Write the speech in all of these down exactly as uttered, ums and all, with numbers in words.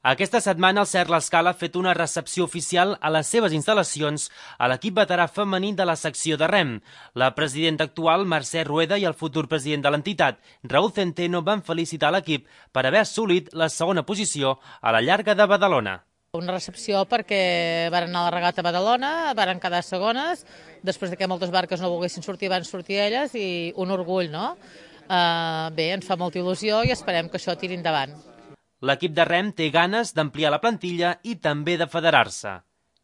Aquesta setmana el Cert l'Escala ha fet una recepció oficial a les seves instal·lacions a l'equip veterà femení de la secció de rem. La presidenta actual, Mercè Rueda, i el futur president de l'entitat, Raúl Centeno, van felicitar l'equip per haver assolit la segona posició a la llarga de Badalona. Una recepció perquè van anar a la regata a Badalona, van quedar segones, després que moltes barques no volguessin sortir, van sortir elles, i un orgull, no? Uh, bé, ens fa molta il·lusió i esperem que això tiri endavant. L'equip de rem té ganes d'ampliar la plantilla i també de federar-se.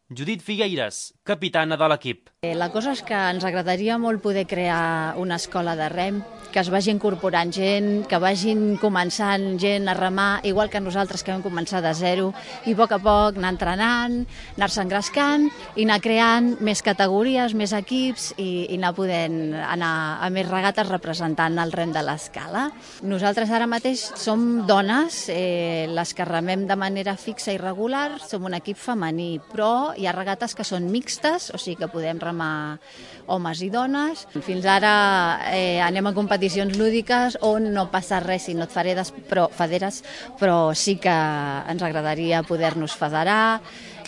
Judit Figueires, capitana de l'equip. La cosa és que ens agradaria molt poder crear una escola de rem, que es vagi incorporant gent, que vagin començant gent a remar, igual que nosaltres que vam començar de zero, i a poc a poc anar entrenant, anar-se engrescant i anar creant més categories, més equips i, i anar podent anar a més regates representant el rem de l'Escala. Nosaltres ara mateix som dones, eh, les que remem de manera fixa i regular, som un equip femení, però hi ha regates que són mixtes, o sigui que podem remar homes i dones. Fins ara eh, anem a competicions lúdiques on no passa res si no et federes, però, federes, però sí que ens agradaria poder-nos federar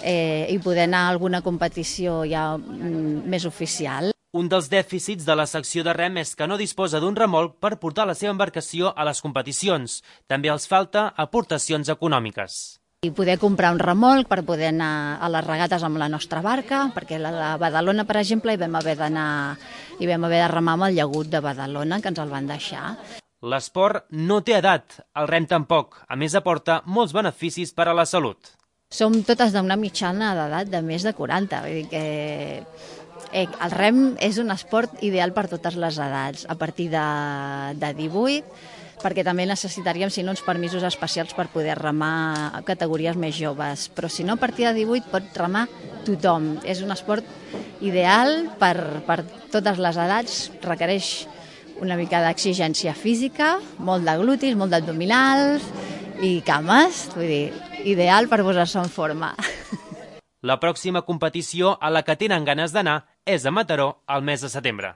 eh, i poder anar a alguna competició ja mm, més oficial. Un dels dèficits de la secció de rem és que no disposa d'un remolc per portar la seva embarcació a les competicions. També els falta aportacions econòmiques. I poder comprar un remolc per poder anar a les regates amb la nostra barca, perquè a la Badalona, per exemple, hi vam haver d'anar, hi vam haver de remar amb el llagut de Badalona, que ens el van deixar. L'esport no té edat, el rem tampoc. A més, aporta molts beneficis per a la salut. Som totes d'una mitjana d'edat de més de quaranta, vull dir que eh, el rem és un esport ideal per totes les edats, a partir de, de divuit, perquè també necessitaríem, si no, uns permisos especials per poder remar a categories més joves. Però si no, a partir de divuit pot remar tothom. És un esport ideal per, per totes les edats, requereix una mica d'exigència física, molt de glutis, molt d'abdominals i cames, vull dir, ideal per posar-se en forma. La pròxima competició a la que tenen ganes d'anar és a Mataró al mes de setembre.